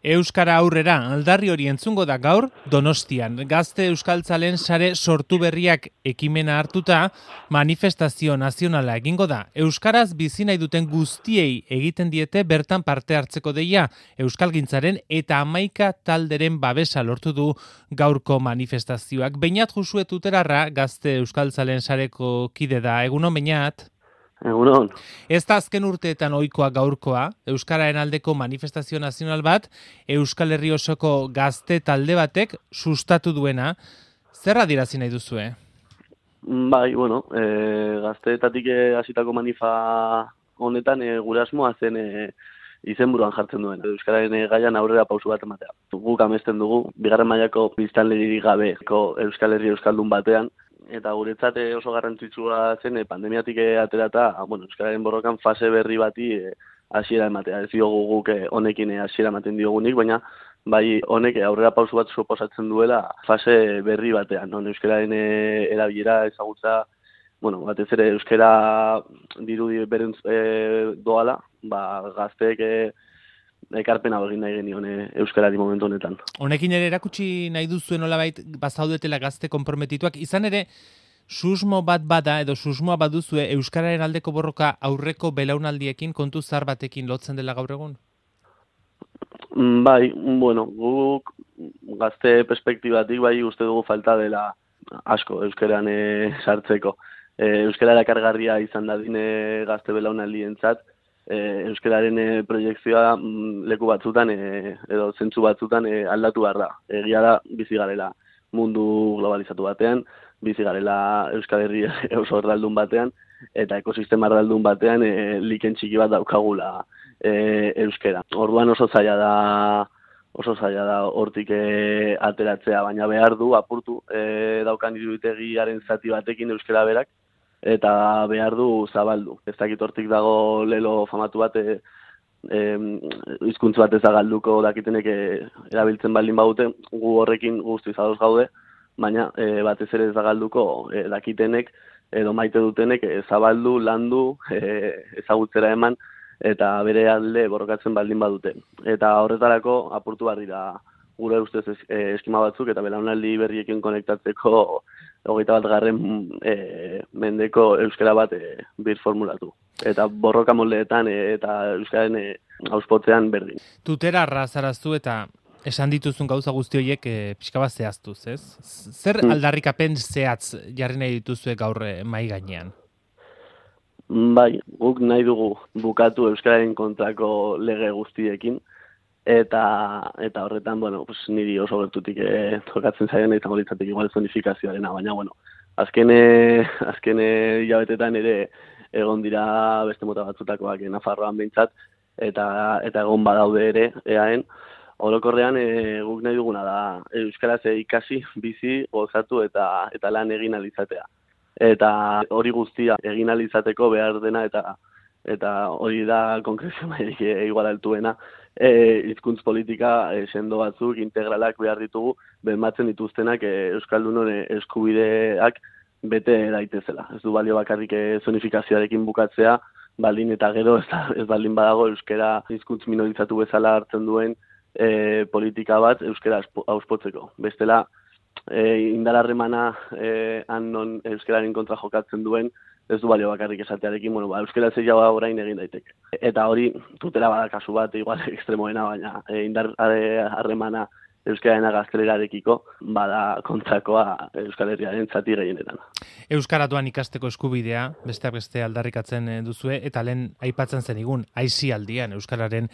Euskara aurrera, aldarri hori entzungo da gaur Donostian. Gazte euskaltzalen sare sortu berriak ekimena hartuta, manifestazio nazionala egingo da. Euskaraz bizi nahi duten guztiei egiten diete bertan parte hartzeko deia. Euskalgintzaren eta 11 talderen babesa lortu du gaurko manifestazioak. Beñat Josue Tuterarra, gazte euskaltzalen sareko kide da. Egunon, Beñat? Egunon. Ez da azken urteetan ohikoa gaurkoa, Euskararen aldeko manifestazio nazional bat, Euskal Herri osoko gazte talde batek sustatu duena. Zer adierazi nahi duzue? Bai, gazteetatik hasitako manifa honetan gure asmoa zen izenburuan jartzen duen. Euskararen gaian aurrera pausu bat ematea. Guk amesten dugu, bigarren mailako biztanlerik gabeko Euskal Herri euskaldun batean, eta guretzat oso garrantzitsua zen pandemiatik aterata, euskararen borrokan fase berri bati hasiera ematea. Ez diogu guk honekin hasiera ematen diogunik, baina bai honek aurrera pausu bat suposatzen duela fase berri batean. Euskararen erabilera ezagutza, batez ere euskara dirudi beren doala, gazteek ekarpena egin nahi genion euskarari momentu honetan. Honekin ere erakutsi nahi duzuen nolabait bazaudetela gazte konprometituak, izan ere susmo bat bada edo susmoa baduzue euskararen aldeko borroka aurreko belaunaldiekin kontu zar batekin lotzen dela gaur egun? Bai, guk gazte perspektibatik bai uste dugu falta dela asko euskeran sartzeko. Euskara erakargarria izan dadin gazte belaunaldientzat, euskararen proiekzioa leku batzutan edo zentzu batzutan aldatu behar da. Egia da bizi garela mundu globalizatu batean, bizi garela Euskal Herri oso erdaldun batean, eta ekosistema erdaldun batean liken txiki bat daukagula euskera. Orduan oso zaila da hortik ateratzea, baina behar du apurtu daukan iruditegiaren zati batekin euskera berak, eta behar du zabaldu. Ez dakit hortik dago lelo famatu bat, hizkuntz bat ez da galduko dakitenek erabiltzen baldin badute, gu horrekin guztiz ados gaude, baina batez ere ez da galduko dakitenek edo maite dutenek zabaldu, landu, ezagutzera eman, eta bere alde borrokatzen baldin badute. Eta horretarako apurtu behar dira gure ustez eskema batzuk, eta belaunaldi berriekin konektatzeko 21. Mendeko euskara bat birformulatu. Eta borroka moldeetan eta euskararen auspotzean berdin. Tuterarra zaraztu eta esan dituzun gauza guzti horiek pixka bat zehaztuz, ez? Zer aldarrikapen zehatz jarri nahi dituzue gaur mahai gainean? Bai, guk nahi dugu bukatu euskararen kontrako lege guztiekin, eta horretan, niri oso gertutik tokatzen zaien izango litzatek igual zonifikazioarena, baina, azken hilabetetan ere egon dira beste mota batzutakoak Nafarroan behintzat, eta egon badaude ere, eaen, orokorrean guk nahi duguna da euskaraz ikasi, bizi, gozatu eta lan egin alizatea. Eta hori guztia egin alizateko behar dena eta hori da konkrezio mailik igual altuena, hizkuntz politika sendo batzuk, integralak behar ditugu, bermatzen dituztenak euskaldunon eskubideak bete daitezela. Ez du balio bakarrik zonifikazioarekin bukatzea, baldin eta gero ez baldin badago euskara hizkuntz minorizatu bezala hartzen duen politika bat euskara auspotzeko. Bestela, indararremana non euskararen kontra jokatzen duen, ez du balio bakarrik esatearekin, euskara zeiagoa orain egin daiteke. Eta hori, tutela bada kasu bat, igual ekstremoena, baina indar harremana euskararen gaztelerarekiko, bada kontrakoa Euskal Herriaren zati gehienetan. Euskaratuan ikasteko eskubidea, besteak beste aldarrikatzen duzue, eta lehen aipatzen zenigun, aisialdian euskararen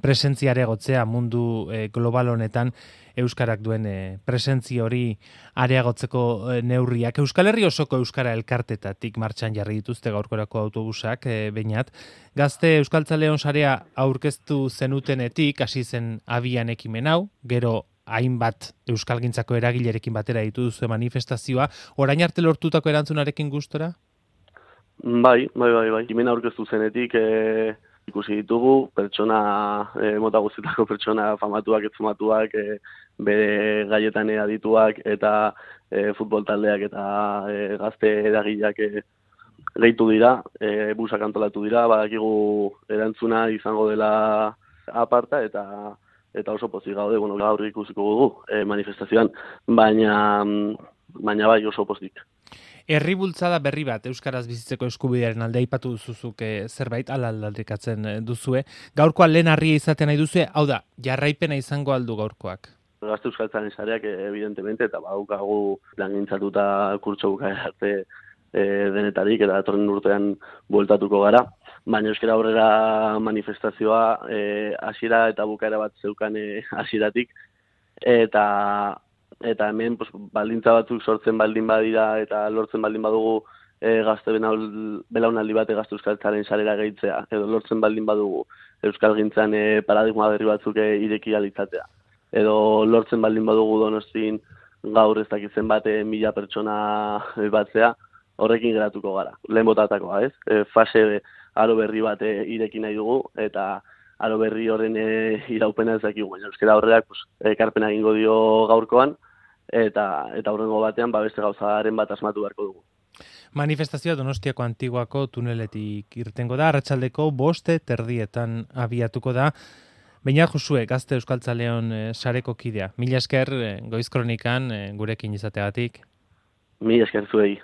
presentziare gotzea mundu global honetan, euskarak duen presentzia hori areagotzeko neurriak. Euskal Herri osoko euskara elkartetatik martxan jarri dituzte gaurkorako autobusak, Beñat. Gazte euskaltzaleon sarea aurkeztu zenutenetik, hasi zen abian ekimen hau, gero hainbat euskalgintzako eragilerekin batera ditu duzu manifestazioa, orain arte lortutako erantzunarekin gustora? Bai. Ekimen aurkeztu zenetik ikusi ditugu, mota guztietako pertsona famatuak, etzumatuak, bere gaietan adituak eta futbol taldeak eta gazte eragileak gehitu dira, busak antolatu dira, badakigu erantzuna izango dela aparta eta eta oso pozik gaude, gaur ikusiko dugu manifestazioan, baina bai oso pozik. Herri bultzada berri bat Euskaraz bizitzeko eskubidearen alde aipatu duzuzuk zerbait aldarrikatzen duzue. Gaurkoa lehen harria izaten nahi duzue, hau da, jarraipena izango aldu gaurkoak. Gazte Euskaltzaren sareak evidentemente eta badaukagu plangintzatuta kurtso bukaera arte denetarik eta datorren urtean bueltatuko gara. Baina euskara aurrera manifestazioa hasiera eta bukaera bat zeukan hasieratik eta hemen baldintza batzuk sortzen baldin badira eta lortzen baldin badugu gazte belaunaldi bate Gazte Euskaltzaren sarera gehitzea edo lortzen baldin badugu euskalgintzan paradigma berri batzuk ireki ahal izatea edo lortzen baldin badugu Donostin gaur ez dakitzen bate 1000 pertsona batzea, horrekin geratuko gara. Lehen botatakoa, ez? Fase aro berri bat ireki nahi dugu eta aro berri horren iraupena ez dakigu. Baina euskara horreak ekarpena egingo dio gaurkoan eta aurrengo batean beste gauzaren bat asmatu beharko dugu. Manifestazioa Donostiako Antiguako tuneletik irtengo da, arratsaldeko 5:30 abiatuko da. Beñat Josue, Gazte Euskaltzaleon sareko kidea. Mila esker Goiz Kronikan gurekin izateagatik. Mila esker zuei.